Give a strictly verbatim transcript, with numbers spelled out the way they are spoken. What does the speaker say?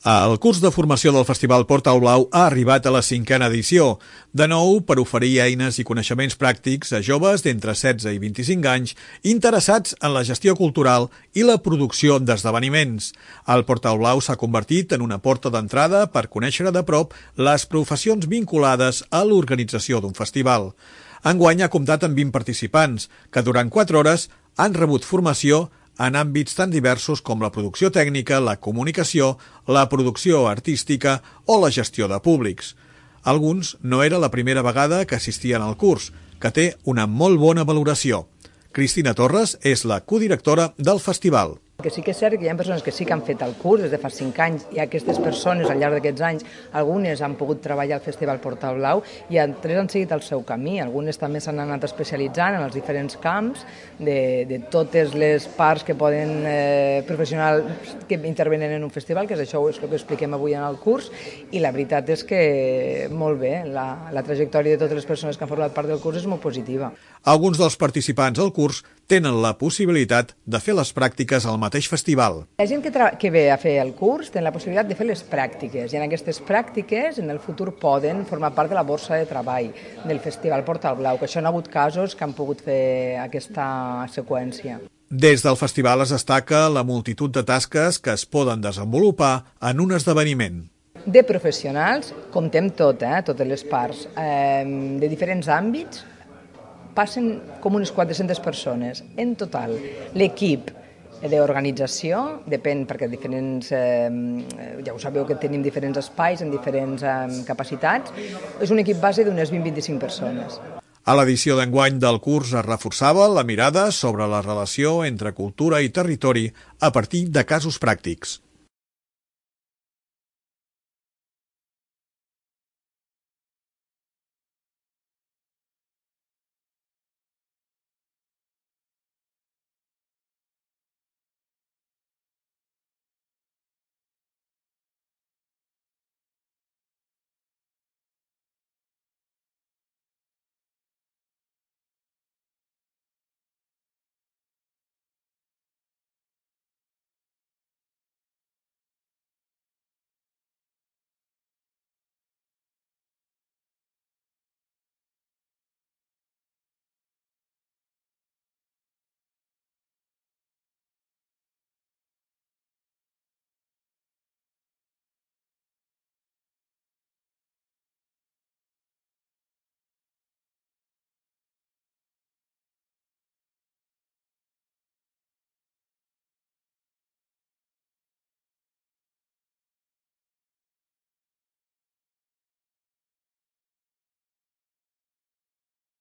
El curs de formació del Festival Portal Blau ha arribat a la cinquena edició, de nou per oferir eines i coneixements pràctics a joves d'entre setze i vint-i-cinc anys interessats en la gestió cultural i la producció d'esdeveniments. El Portal Blau s'ha convertit en una porta d'entrada per conèixer de prop les professions vinculades a l'organització d'un festival. Enguany ha comptat amb vint participants, que durant quatre hores han rebut formació en àmbits tan diversos com la producció tècnica, la comunicació, la producció artística o la gestió de públics. Alguns no era la primera vegada que assistien al curs, que té una molt bona valoració. Cristina Torres és la codirectora del festival. Que sí que és cert que hi ha persones que sí que han fet el curs des de fa cinc anys i aquestes persones al llarg d'aquests anys, algunes han pogut treballar al Festival Portal Blau i altres han seguit el seu camí. Algunes també s'han anat especialitzant en els diferents camps de, de totes les parts que poden eh, professionals que intervenen en un festival, que és això és el que expliquem avui en el curs, i la veritat és que molt bé, la, la trajectòria de totes les persones que han format part del curs és molt positiva. Alguns dels participants al curs tenen la possibilitat de fer les pràctiques al mateix festival. La gent que, que ve a fer el curs té la possibilitat de fer les pràctiques i en aquestes pràctiques en el futur poden formar part de la borsa de treball del Festival Portal Blau, que això hi ha hagut casos que han pogut fer aquesta seqüència. Des del festival es destaca la multitud de tasques que es poden desenvolupar en un esdeveniment. De professionals, comptem tot, eh, totes les parts, eh, de diferents àmbits, passen com unes quatre-centes persones en total. L'equip d'organització, depèn perquè diferents, eh, ja ho sabeu que tenim diferents espais en diferents eh, capacitats, és un equip base d'unes vint a vint-i-cinc persones. A l'edició d'enguany del curs es reforçava la mirada sobre la relació entre cultura i territori a partir de casos pràctics.